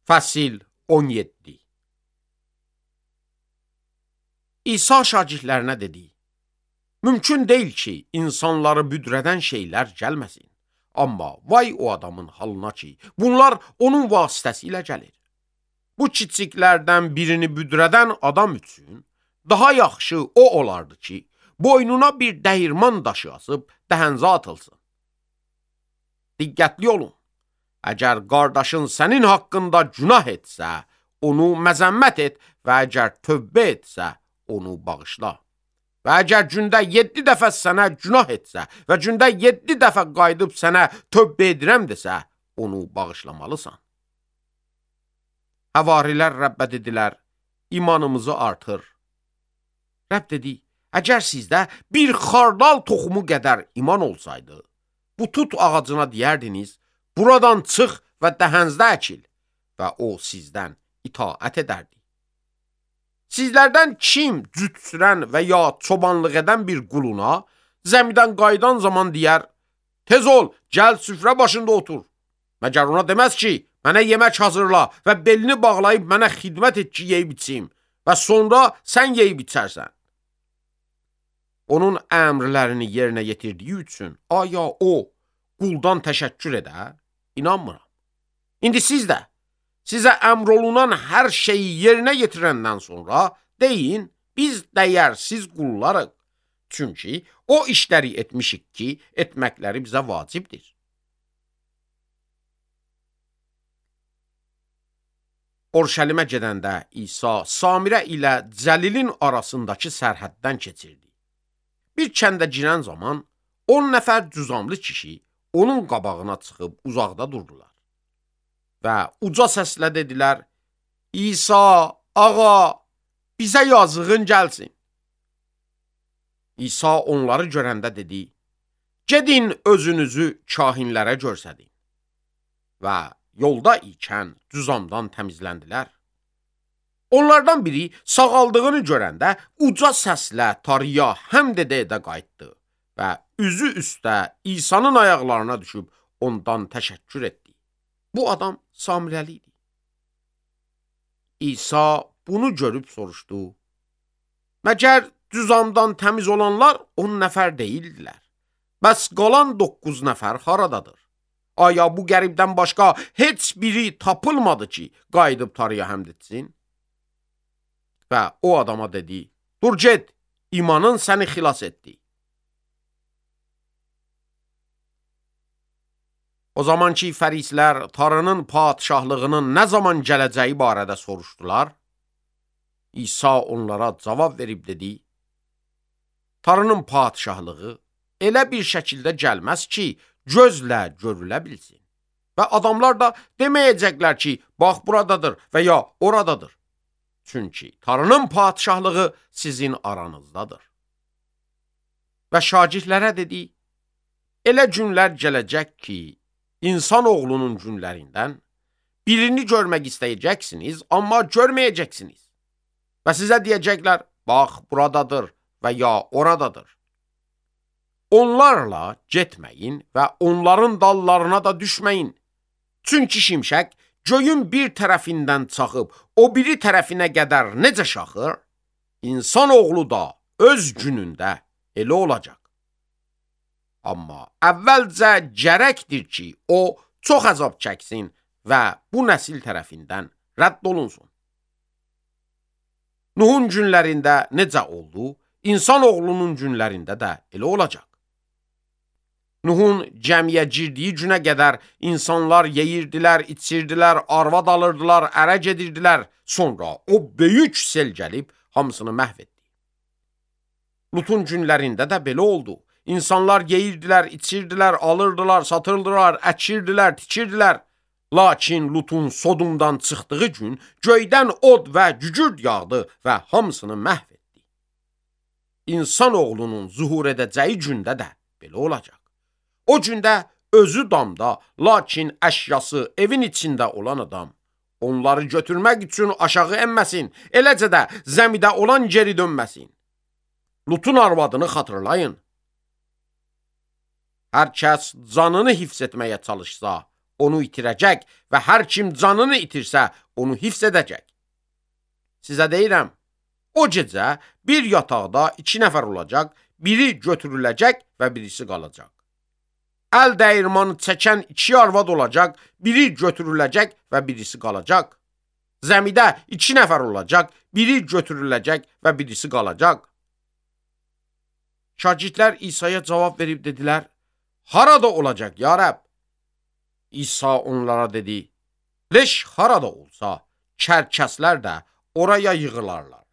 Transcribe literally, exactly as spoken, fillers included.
Fəsil on yeddi. İsa şagirdlərinə dedi: Mümkün deyil ki, insanları büdrədən şeylər gəlməsin. Amma vay o adamın halına ki, bunlar onun vasitəsilə gəlir. Bu kiçiklərdən birini büdrədən adam üçün daha yaxşı o olardı ki, boynuna bir dəyirman daşı asıb dəhənzə atılsın. Diqqətli olun. Əgər qardaşın sənin haqqında günah etsə, onu məzəmmət et və əgər tövbə etsə, onu bağışla. Və əgər gündə yeddi dəfə sənə günah etsə və gündə yeddi dəfə qayıdıb sənə tövbə edirəm desə, onu bağışlamalısan. Həvarilər Rəbbə dedilər: İmanımızı artır. Rəbb dedi: Əgər sizdə bir xardal toxumu qədər iman olsaydı, bu tut ağacına deyərdiniz: Buradan çıx və dəhənzdə əkil və o sizdən itaət edərdi. Sizlərdən kim cüt sürən və ya çobanlıq edən bir quluna zəmidən qayıdan zaman deyər: Tez ol, gəl süfrə başında otur. Məgər ona deməz ki, mənə yemək hazırla və belini bağlayıb mənə xidmət et ki, yeyib içim və sonra sən yeyib içərsən. Onun əmrlərini yerinə yetirdiyi üçün aya o quldan təşəkkür edər? İnanmıram. İndi siz də sizə əmr olunan hər şeyi yerinə yetirəndən sonra deyin, biz dəyərsiz qullarıq. Çünki o işləri etmişik ki, etməkləri bizə vacibdir. Orşəlimə gedəndə İsa Samirə ilə Cəlilin arasındakı sərhəddən keçirdi. Bir kəndə girən zaman on nəfər cüzamlı kişi onun qabağına çıxıb uzaqda durdular. Və uca səslə dedilər: İsa, ağa, bizə yazığın gəlsin. İsa onları görəndə dedi: Gedin özünüzü kahinlərə görsədin. Və yolda ikən cüzamdan təmizləndilər. Onlardan biri sağaldığını görəndə uca səslə tarıya həmd edə-edə qayıtdı və üzü üstə İsa'nın ayaqlarına düşüb ondan təşəkkür etdi. Bu adam Samirəli idi. İsa bunu görüb soruşdu: Məgər cüzamdan təmiz olanlar on nəfər deyildilər? Bəs qalan doqquz nəfər haradadır? Aya bu qəribdən başqa heç biri tapılmadı ki, qayıdıb tarıya həmd etsin? Və o adama dedi: Dur get, imanın səni xilas etdi. O zaman ki, fərislər tarının padişahlığının nə zaman gələcəyi barədə soruşdular, İsa onlara cavab verib dedi: Tarının padişahlığı elə bir şəkildə gəlməz ki, gözlə görülə bilsin. Və adamlar da deməyəcəklər ki, bax buradadır və ya oradadır. Çünki tarının padişahlığı sizin aranızdadır. Və şagirdlərə dedi: Elə günlər gələcək ki, İnsan oğlunun günlərindən birini görmək istəyəcəksiniz, amma görməyəcəksiniz. Və sizə deyəcəklər: Bax buradadır və ya oradadır. Onlarla getməyin və onların dallarına da düşməyin. Çünki şimşək göyün bir tərəfindən çaxıb o biri tərəfinə qədər necə şaxır, İnsan oğlu da öz günündə elə olacaq. Amma əvvəlcə gərəkdir ki, o çox əzab çəksin və bu nəsil tərəfindən rədd olunsun. Nuhun günlərində necə oldu, İnsan oğlunun günlərində də elə olacaq. Nuhun gəmiyə girdiyi günə qədər insanlar yeyirdilər, içirdilər, arvad alırdılar, ərə gedirdilər. Sonra o böyük sel gəlib hamısını məhv etdi. Lutun günlərində də belə oldu. İnsanlar yeyirdilər, içirdilər, alırdılar, satırdılar, əkirdilər, tikirdilər. Lakin Lutun Sodumdan çıxdığı gün göydən od və gügürd yağdı və hamısını məhv etdi. İnsan oğlunun zuhur edəcəyi gündə də belə olacaq. O gündə özü damda, lakin əşyası evin içində olan adam onları götürmək üçün aşağı enməsin, eləcə də zəmidə olan geri dönməsin. Lutun arvadını xatırlayın. Hər kəs canını hifz etməyə çalışsa, onu itirəcək və hər kim canını itirsə, onu hifz edəcək. Sizə deyirəm, o gecə bir yataqda iki nəfər olacaq, biri götürüləcək və birisi qalacaq. Əl dəyirmanı çəkən iki arvad olacaq, biri götürüləcək və birisi qalacaq. Zəmidə iki nəfər olacaq, biri götürüləcək və birisi qalacaq. Şagirdlər İsa'ya cavab verib dedilər, harada olacaq, ya Rəbb? İsa onlara dedi, leş harada olsa, kərkəslər də oraya yığılarlar.